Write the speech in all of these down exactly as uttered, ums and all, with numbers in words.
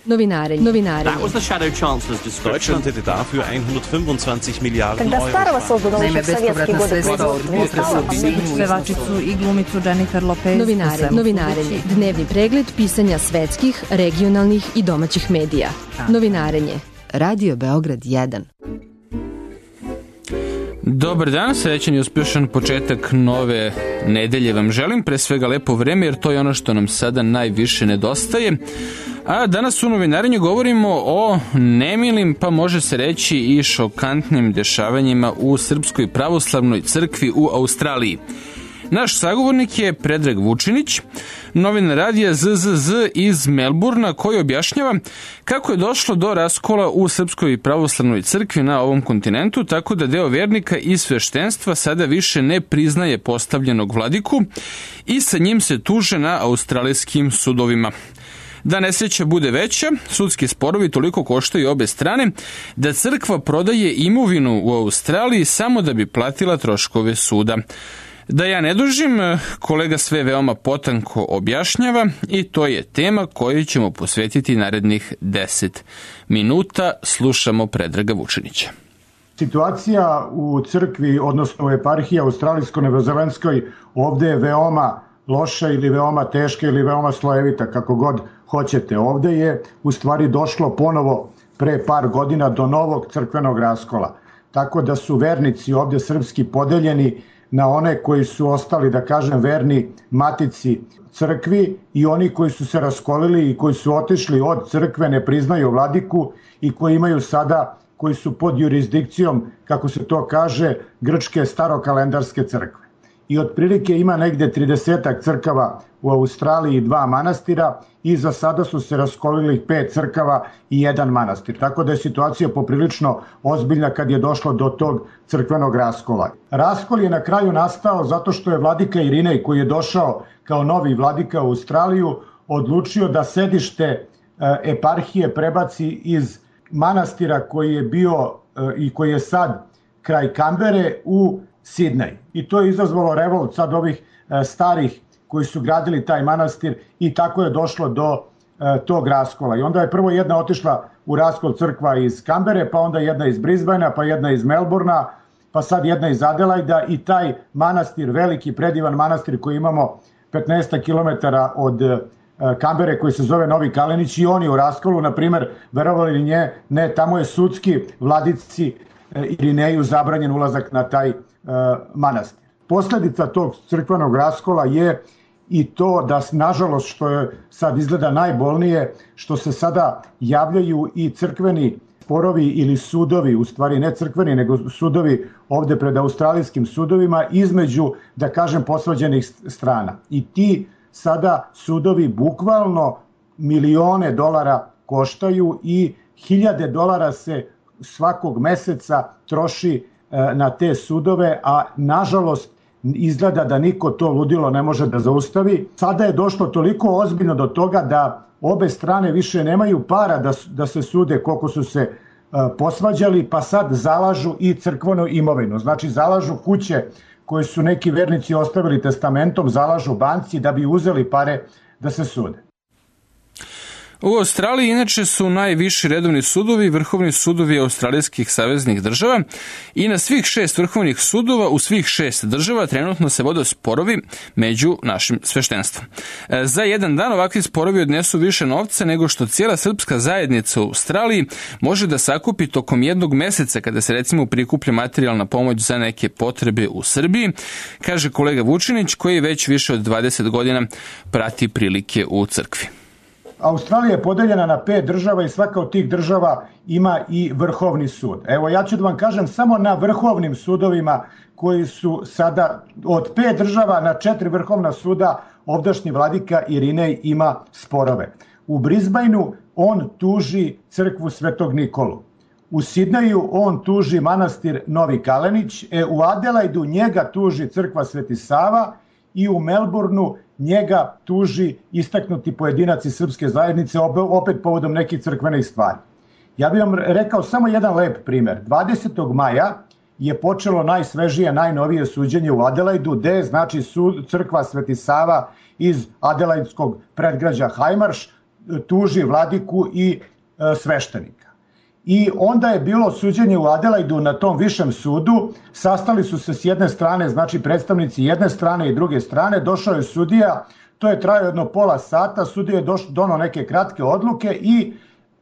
Novinarenje. Novinarenje. That was the Shadow Chancellor's description. Deutschland hätte dafür hundertfünfundzwanzig Miliarden Когда Euro. Starova создана Naime, bespovratna sredstva od pevačicu i glumicu Jennifer Lopez. Novinarenje. Novinarenje. Dnevni pregled pisanja svetskih, regionalnih i domaćih medija. Novinarenje. Radio Beograd jedan. Dobar dan, srećan i uspješan početak nove nedelje vam želim, pre svega lepo vreme jer to je ono što nam sada najviše nedostaje. A danas u novinarenju govorimo o nemilim, pa može se reći i šokantnim dešavanjima u Srpskoj pravoslavnoj crkvi u Australiji. Naš sagovornik je Predrag Vučinić, novinar radija Z Z Z iz Melburna, koji objašnjava kako je došlo do raskola u Srpskoj pravoslavnoj crkvi na ovom kontinentu, tako da deo vernika i sveštenstva sada više ne priznaje postavljenog vladiku i sa njim se tuže na australijskim sudovima. Da nesreća bude veća, sudski sporovi toliko koštaju obe strane da crkva prodaje imovinu u Australiji samo da bi platila troškove suda. Da ja ne dužim, kolega sve veoma potanko objašnjava i to je tema koju ćemo posvetiti narednih deset minuta. Slušamo Predraga Vučinića. Situacija u crkvi, odnosno u eparhiji australijsko-novozelandskoj, ovde je veoma loša ili veoma teška ili veoma slojevita, kako god hoćete. Ovde je u stvari došlo ponovo pre par godina do novog crkvenog raskola. Tako da su vernici ovde srpski podeljeni na one koji su ostali, da kažem, verni matici crkvi i oni koji su se raskolili i koji su otišli od crkve, ne priznaju vladiku i koji imaju sada, koji su pod jurisdikcijom, kako se to kaže, grčke starokalendarske crkve. I otprilike ima negde tridesetak crkava u Australiji i dva manastira i za sada su se raskolili pet crkava i jedan manastir. Tako da je situacija poprilično ozbiljna kad je došlo do tog crkvenog raskola. Raskol je na kraju nastao zato što je vladika Irinej, koji je došao kao novi vladika u Australiju, odlučio da sedište eparhije prebaci iz manastira koji je bio i koji je sad kraj Kambere u Sidnej. I to je izazvalo revolt sad ovih e, starih koji su gradili taj manastir i tako je došlo do e, tog raskola. I onda je prvo jedna otišla u raskol crkva iz Kambere, pa onda jedna iz Brisbanea, pa jedna iz Melburna, pa sad jedna iz Adelaida i taj manastir, veliki predivan manastir koji imamo petnaest kilometara od e, Kambere, koji se zove Novi Kalenić, i on je u raskolu, na primer, verovali li nje, ne, tamo je sudski vladici e, Irineju zabranjen ulazak na taj manastir. Posledica tog crkvenog raskola je i to da, nažalost, što je sad izgleda najbolnije, što se sada javljaju i crkveni sporovi ili sudovi, u stvari ne crkveni, nego sudovi ovde pred australijskim sudovima između, da kažem, posvađanih strana. I ti sada sudovi bukvalno milione dolara koštaju i hiljade dolara se svakog meseca troši na te sudove, a nažalost izgleda da niko to ludilo ne može da zaustavi. Sada je došlo toliko ozbiljno do toga da obe strane više nemaju para da, da se sude koliko su se uh, posvađali, pa sad zalažu i crkvenu imovinu. Znači zalažu kuće koje su neki vernici ostavili testamentom, zalažu banci da bi uzeli pare da se sude. U Australiji inače su najviši redovni sudovi vrhovni sudovi australijskih saveznih država i na svih šest vrhovnih sudova u svih šest država trenutno se vode sporovi među našim sveštenstvom. Za jedan dan ovakvi sporovi odnesu više novca nego što cijela srpska zajednica u Australiji može da sakupi tokom jednog meseca kada se recimo prikuplja materijalna pomoć za neke potrebe u Srbiji, kaže kolega Vučinić koji već više od dvadeset godina prati prilike u crkvi. Australija je podeljena na pet država i svaka od tih država ima i vrhovni sud. Evo, ja ću da vam kažem samo na vrhovnim sudovima koji su sada od pet država na četiri vrhovna suda ovdašnji vladika Irinej ima sporove. U Brisbaneu on tuži crkvu Svetog Nikolu. U Sidneju on tuži manastir Novi Kalenić, e, u Adelaidu njega tuži crkva Sveti Sava i u Melbourneu njega tuži istaknuti pojedinac iz srpske zajednice, opet povodom nekih crkvenih stvari. Ja bih vam rekao samo jedan lep primer. dvadesetog maja je počelo najsvežije, najnovije suđenje u Adelaidu, gde znači sud, crkva Sveti Sava iz adelaidskog predgrađa Highmarsh tuži vladiku i e, sveštenika. I onda je bilo suđenje u Adelaidu na tom višem sudu, sastali su se s jedne strane, znači predstavnici jedne strane i druge strane, došao je sudija, to je trajao jedno pola sata, sudija je donao neke kratke odluke i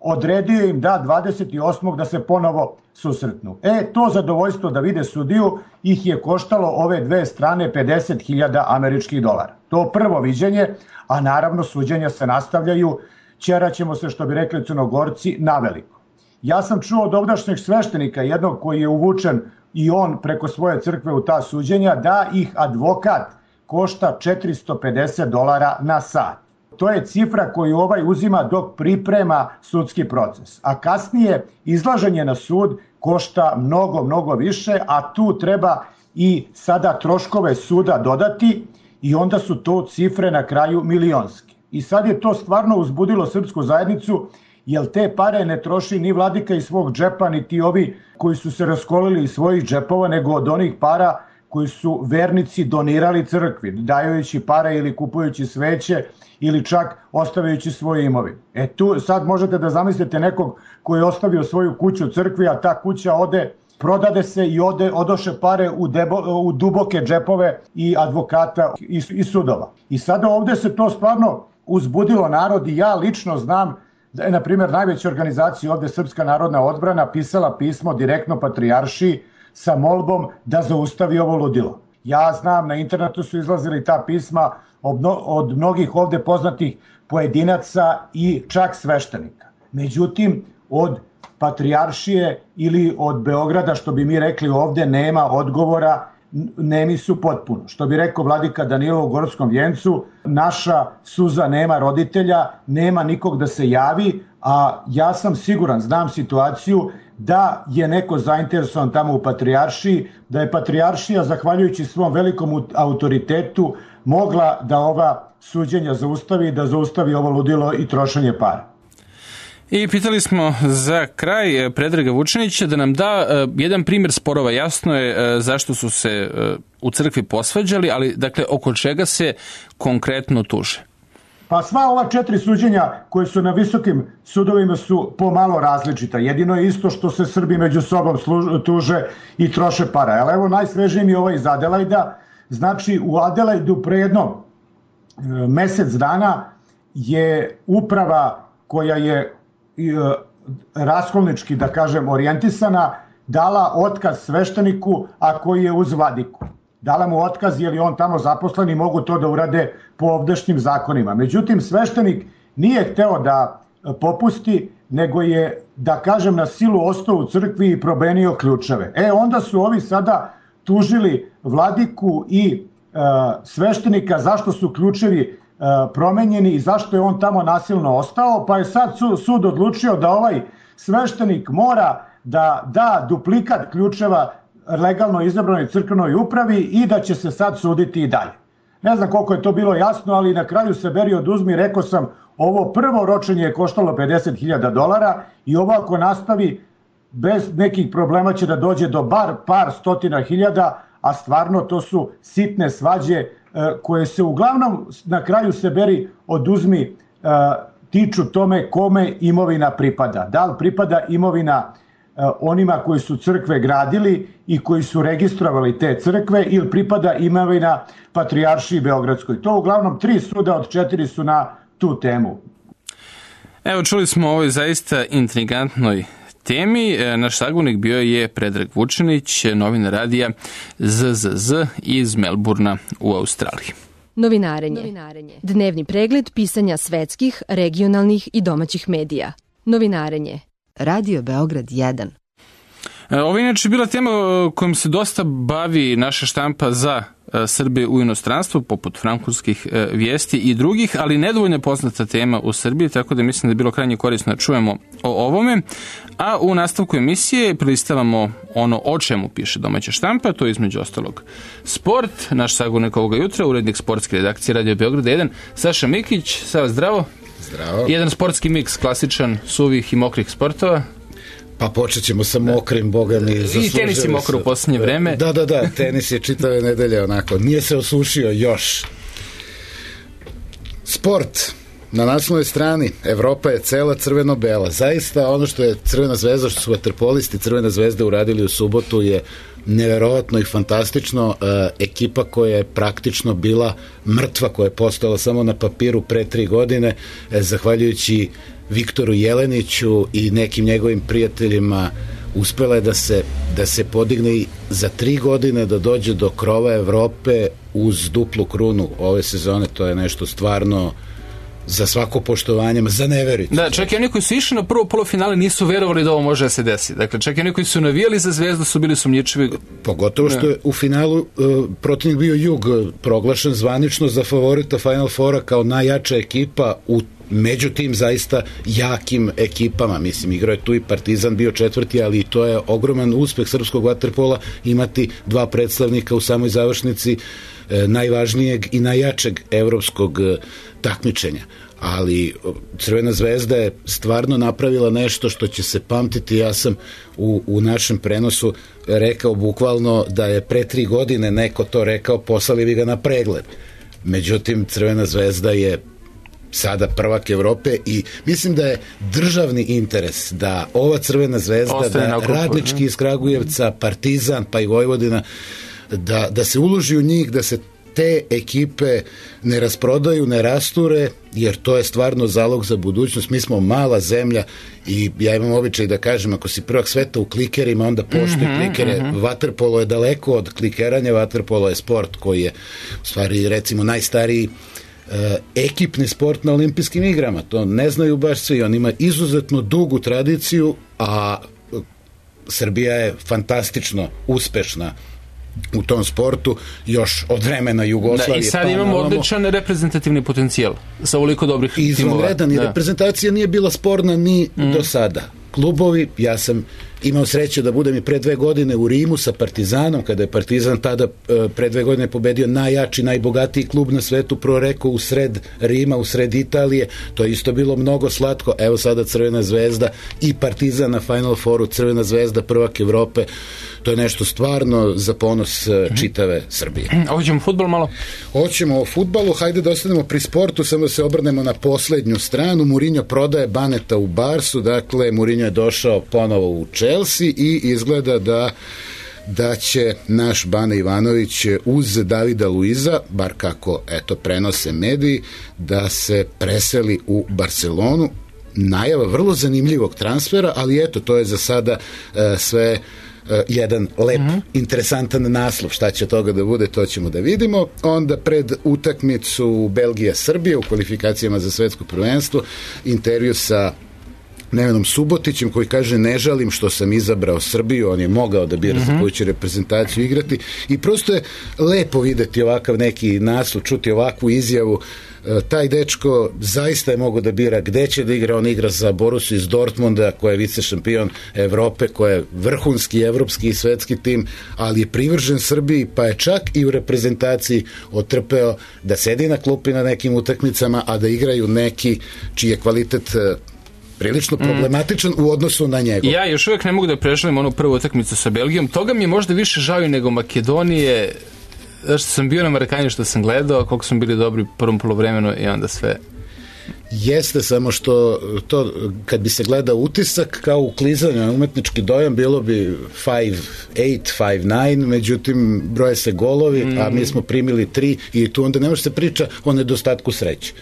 odredio im da dvadeset osmog da se ponovo susretnu. E, to zadovoljstvo da vide sudiju ih je koštalo ove dve strane pedeset hiljada američkih dolara. To prvo viđenje, a naravno suđenja se nastavljaju, ćeraćemo se, što bi rekli Crnogorci, naveliko. Ja sam čuo od ovdašnjeg sveštenika, jednog koji je uvučen i on preko svoje crkve u ta suđenja, da ih advokat košta četiristo pedeset dolara na sat. To je cifra koju ovaj uzima dok priprema sudski proces. A kasnije izlaženje na sud košta mnogo, mnogo više, a tu treba i sada troškove suda dodati i onda su to cifre na kraju milionske. I sad je to stvarno uzbudilo srpsku zajednicu, jer te pare ne troši ni vladika iz svog džepa, ni ti ovi koji su se raskolili iz svojih džepova, nego od onih para koji su vernici donirali crkvi, dajući pare ili kupujući sveće ili čak ostavljajući svoje imovine. E tu sad možete da zamislite nekog koji je ostavio svoju kuću crkvi, a ta kuća ode, prodade se i ode, odoše pare u, debo, u duboke džepove i advokata i, i sudova. I sada ovde se to stvarno uzbudilo narod i ja lično znam da je, na primjer, najveća organizacija ovde Srpska narodna odbrana pisala pismo direktno patrijaršiji sa molbom da zaustavi ovo ludilo. Ja znam, na internetu su izlazili ta pisma od mnogih ovde poznatih pojedinaca i čak sveštenika. Međutim, od patrijaršije ili od Beograda, što bi mi rekli ovde, nema odgovora, nemi su potpuno. Što bi rekao vladika Danilo u Gorskom vjencu, naša suza nema roditelja, nema nikog da se javi, a ja sam siguran, znam situaciju, da je neko zainteresovan tamo u patrijaršiji, da je patrijaršija, zahvaljujući svom velikom autoritetu, mogla da ova suđenja zaustavi, da zaustavi ovo ludilo i trošenje para. I pitali smo za kraj Predraga Vučinića da nam da uh, jedan primjer sporova. Jasno je uh, zašto su se uh, u crkvi posvađali, ali dakle oko čega se konkretno tuže? Pa sva ova četiri suđenja koje su na visokim sudovima su pomalo različita. Jedino je isto što se Srbi među sobom služ, tuže i troše para. Ali evo najsvežniji mi je ovaj iz Adelaida. Znači u Adelaidu pre jedno e, mesec dana je uprava koja je e, raskolnički, da kažem, orijentisana, dala otkaz svešteniku, a koji je uz vladiku. Dala mu otkaz jer je on tamo zaposlen i mogu to da urade po ovdašnjim zakonima. Međutim, sveštenik nije hteo da popusti, nego je, da kažem, na silu ostao u crkvi i probenio ključeve. E, onda su ovi sada tužili vladiku i e, sveštenika zašto su ključevi e, promenjeni i zašto je on tamo nasilno ostao, pa je sad su, sud odlučio da ovaj sveštenik mora da da duplikat ključeva legalno izabranoj crkvenoj upravi i da će se sad suditi i dalje. Ne znam koliko je to bilo jasno, ali na kraju se beri oduzmi, rekao sam, ovo prvo ročenje je koštalo pedeset hiljada dolara i ovo ako nastavi bez nekih problema će da dođe do bar par stotina hiljada, a stvarno to su sitne svađe koje se uglavnom na kraju se beri oduzmi tiču tome kome imovina pripada. Da li pripada imovina onima koji su crkve gradili i koji su registrovali te crkve ili pripada imovina Patrijaršiji Beogradskoj. To uglavnom tri suda od četiri su na tu temu. Evo, čuli smo o ovoj zaista intrigantnoj temi. Naš sagovornik bio je Predrag Vučinić, novinar radija Z Z Z iz Melburna u Australiji. Novinarenje. Novinarenje. Dnevni pregled pisanja svetskih, regionalnih i domaćih medija. Novinarenje. Radio Beograd jedan. Ovo je inače bila tema kojom se dosta bavi naša štampa za Srbije u inostranstvu, poput francuskih vijesti i drugih, ali nedovoljno poznata tema u Srbiji, tako da mislim da je bilo krajnje korisno da čujemo o ovome. A u nastavku emisije prilistavamo ono o čemu piše domaća štampa, to je između ostalog sport. Naš sagovornik ovoga jutra, urednik sportske redakcije Radio Beograd jedan, Saša Mikić. Sava, zdravo. Zdravo. Jedan sportski miks, klasičan, suvih i mokrih sportova. Pa počet ćemo sa mokrim, boga mi. I tenis je mokro u posljednje vreme. Da, da, da, tenis je čitave nedelje onako. Nije se osušio još. Sport. Na naslovnoj strani Evropa je cela crveno-bela. Zaista ono što je Crvena zvezda, što su vaterpolisti Crvena zvezda uradili u subotu je neverovatno i fantastično. E, ekipa koja je praktično bila mrtva, koja je postala samo na papiru pre tri godine, e, zahvaljujući Viktoru Jeleniću i nekim njegovim prijateljima, uspela je da se, da se podigne i za tri godine da dođe do krova Evrope uz duplu krunu ove sezone. To je nešto stvarno za svako poštovanje, za ne veriti. Da, čak i oni koji su išli na prvo polufinale nisu verovali da ovo može da se desi. Dakle, čak i oni koji su navijali za Zvezdu su bili sumnjičivi. Pogotovo što je u finalu uh, protivnik bio Jug, proglašen zvanično za favorita Final Fora kao najjača ekipa u među tim zaista jakim ekipama. Mislim, igrao je tu i Partizan, bio četvrti, ali to je ogroman uspeh srpskog vaterpola imati dva predstavnika u samoj završnici e, najvažnijeg i najjačeg evropskog e, takmičenja. Ali Crvena zvezda je stvarno napravila nešto što će se pamtiti. Ja sam u, u našem prenosu rekao bukvalno da je pre tri godine neko to rekao, poslali bi ga na pregled. Međutim, Crvena zvezda je sada prvak Evrope i mislim da je državni interes da ova Crvena zvezda, Ostaje da Radnički iz Kragujevca, Partizan pa i Vojvodina, da, da se uloži u njih, da se te ekipe ne rasprodaju, ne rasture, jer to je stvarno zalog za budućnost. Mi smo mala zemlja i ja imam običaj da kažem, ako si prvak sveta u klikerima, onda poštuj mm-hmm, klikere. Mm-hmm. Vaterpolo je daleko od klikeranja, vaterpolo je sport koji je u stvari recimo najstariji E, ekipni sport na olimpijskim igrama. To ne znaju baš svi. On ima izuzetno dugu tradiciju, a Srbija je fantastično uspešna u tom sportu još od vremena Jugoslavije. Da, i sad pa imamo odličan reprezentativni potencijal sa ovoliko dobrih timova. Izvanredan i reprezentacija nije bila sporna ni mm. do sada. Klubovi, ja sam imao sreće da budem i pre dve godine u Rimu sa Partizanom, kada je Partizan tada pre dve godine pobedio najjači, najbogatiji klub na svetu, proreko u sred Rima, u sred Italije. To je isto bilo mnogo slatko. Evo sada Crvena zvezda i Partizan na Final Fouru, Crvena zvezda prvak Evrope. To je nešto stvarno za ponos čitave Srbije. Hoćemo fudbal malo? Hoćemo o fudbalu, hajde da ostanemo pri sportu, samo da se obrnemo na poslednju stranu. Mourinho prodaje Baneta u Barsu, dakle Mourinho je došao ponovo u Chelsea i izgleda da da će naš Bane Ivanović uz Davida Luiza, bar kako eto prenose mediji, da se preseli u Barcelonu. Najava vrlo zanimljivog transfera, ali eto, to je za sada uh, sve Uh, jedan lep, mm-hmm. interesantan naslov. Šta će toga da bude, to ćemo da vidimo. Onda pred utakmicu Belgija-Srbija u kvalifikacijama za svetsko prvenstvo, intervju sa Nevenom Subotićem koji kaže ne žalim što sam izabrao Srbiju, on je mogao da bira mm-hmm. za koju će reprezentaciju igrati i prosto je lepo videti ovakav neki naslov, čuti ovakvu izjavu. Taj dečko zaista je mogao da bira gde će da igra. On igra za Borussiju iz Dortmunda koja je vice šampion Evrope, koja je vrhunski evropski i svetski tim, ali je privržen Srbiji, pa je čak i u reprezentaciji otrpeo da sedi na klupi na nekim utakmicama, a da igraju neki čiji je kvalitet prilično problematičan mm. u odnosu na njegov. Ja još uvijek ne mogu da preželim onu prvu utakmicu sa Belgijom. Toga mi je možda više žao nego Makedonije. Zašto sam bio na Marakanju, što sam gledao, koliko smo bili dobri u prvom polovremenu i onda sve. Jeste, samo što to, kad bi se gledao utisak kao u klizanju, umetnički dojam, bilo bi five eight, five nine, međutim broje se golovi, mm. a mi smo primili tri i tu onda ne može se priča o nedostatku sreće.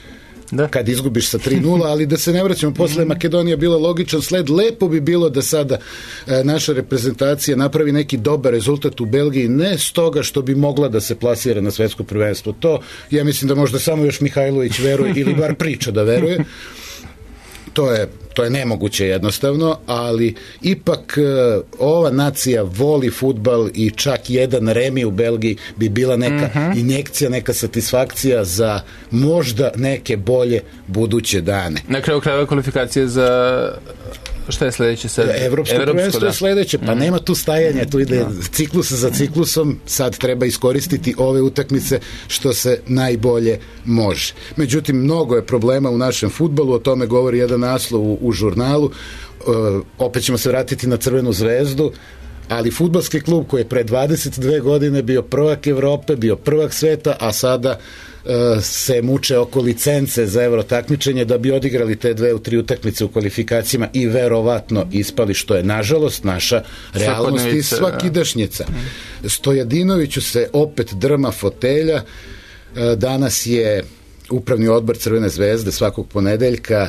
Da. Kad izgubiš sa tri nula, ali da se ne vraćamo, posle Makedonija bila logičan sled. Lepo bi bilo da sada e, naša reprezentacija napravi neki dobar rezultat u Belgiji, ne stoga što bi mogla da se plasira na svetsko prvenstvo. To, ja mislim da možda samo još Mihajlović veruje ili bar priča da veruje. To je, to je nemoguće jednostavno, ali ipak uh, ova nacija voli fudbal i čak jedan remi u Belgiji bi bila neka uh-huh. injekcija, neka satisfakcija za možda neke bolje buduće dane. Na kraju krajeva kvalifikacije za šta je sledeće sad? Evropsko prvenstvo je sledeće, pa mm. nema tu stajanja, tu ide no. ciklus za ciklusom, sad treba iskoristiti ove utakmice što se najbolje može. Međutim, mnogo je problema u našem fudbalu, o tome govori jedan naslov u, u žurnalu, uh, opet ćemo se vratiti na Crvenu zvezdu, ali fudbalski klub koji je pre dvadeset dve godine bio prvak Evrope, bio prvak sveta, a sada se muče oko licence za evro takmičenje da bi odigrali te dve u tri utakmice u kvalifikacijama i verovatno ispali, što je nažalost naša realnost i svakidašnjica. Stojadinoviću se opet drma fotelja. Danas je upravni odbor Crvene zvezde svakog ponedeljka,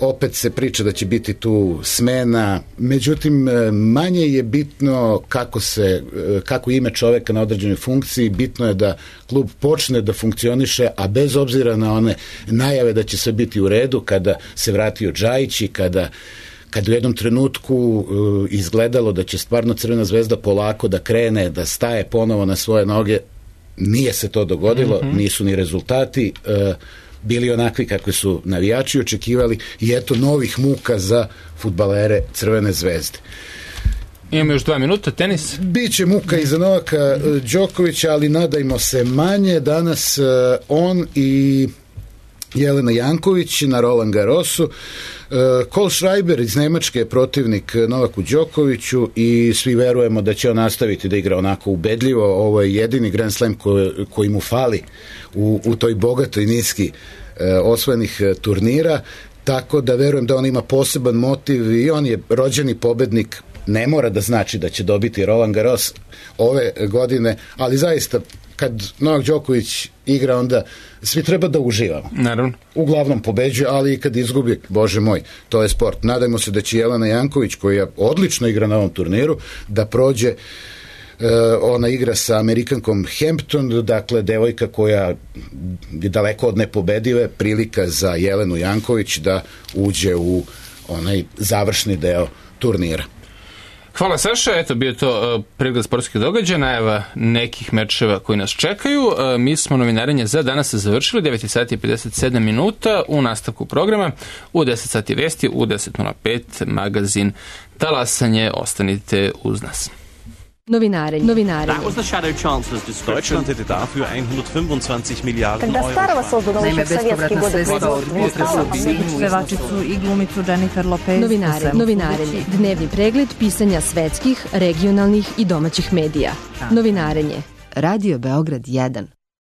opet se priča da će biti tu smena, međutim manje je bitno kako se, kako ime čoveka na određenoj funkciji, bitno je da klub počne da funkcioniše, a bez obzira na one najave da će sve biti u redu, kada se vratio Džajić i kada kad u jednom trenutku uh, izgledalo da će stvarno Crvena zvezda polako da krene, da staje ponovo na svoje noge, nije se to dogodilo, mm-hmm. nisu ni rezultati uh, bili onakvi kakvi su navijači očekivali i eto novih muka za fudbalere Crvene zvezde. Imamo još dva minuta, tenis. Biće muka i za Novaka Đokovića, ali nadajmo se manje. Danas uh, on i Jelena Janković na Roland Garrosu. Uh, Cole Schreiber iz Nemačke je protivnik Novaku Đokoviću i svi verujemo da će on nastaviti da igra onako ubedljivo. Ovo je jedini Grand Slam koji, koji mu fali u, u toj bogatoj niski uh, osvojenih uh, turnira, tako da verujem da on ima poseban motiv i on je rođeni pobednik. Ne mora da znači da će dobiti Roland Garros ove godine, ali zaista kad Novak Đoković igra, onda svi treba da uživamo. Naravno. Uglavnom pobeđuje, ali i kad izgubi, bože moj, to je sport. Nadajmo se da će Jelena Janković, koja odlično igra na ovom turniru, da prođe. E, ona igra sa Amerikankom Hampton, dakle devojka koja je daleko od nepobedive, prilika za Jelenu Janković da uđe u onaj završni deo turnira. Hvala Saša, eto bio to uh, pregled sportskih događaja, najava nekih mečeva koji nas čekaju. Uh, mi smo novinarenje za danas završili, devet sati i pedeset sedam minuta u nastavku programa, u deset sati vesti, u deset nula pet magazin Talasanje, ostanite uz nas. Novinarenje. Novinarenje. That was the shadow chancellor's description. Deutschland hätte dafür hundertfünfundzwanzig Milliarden Euro. Naime, bespovratna sredstva od potresa pevačicu i glumicu Jennifer Lopez. Novinarenje. Novinarenje. Dnevni pregled pisanja svetskih, regionalnih i domaćih medija. Novinarenje. Radio Beograd jedan.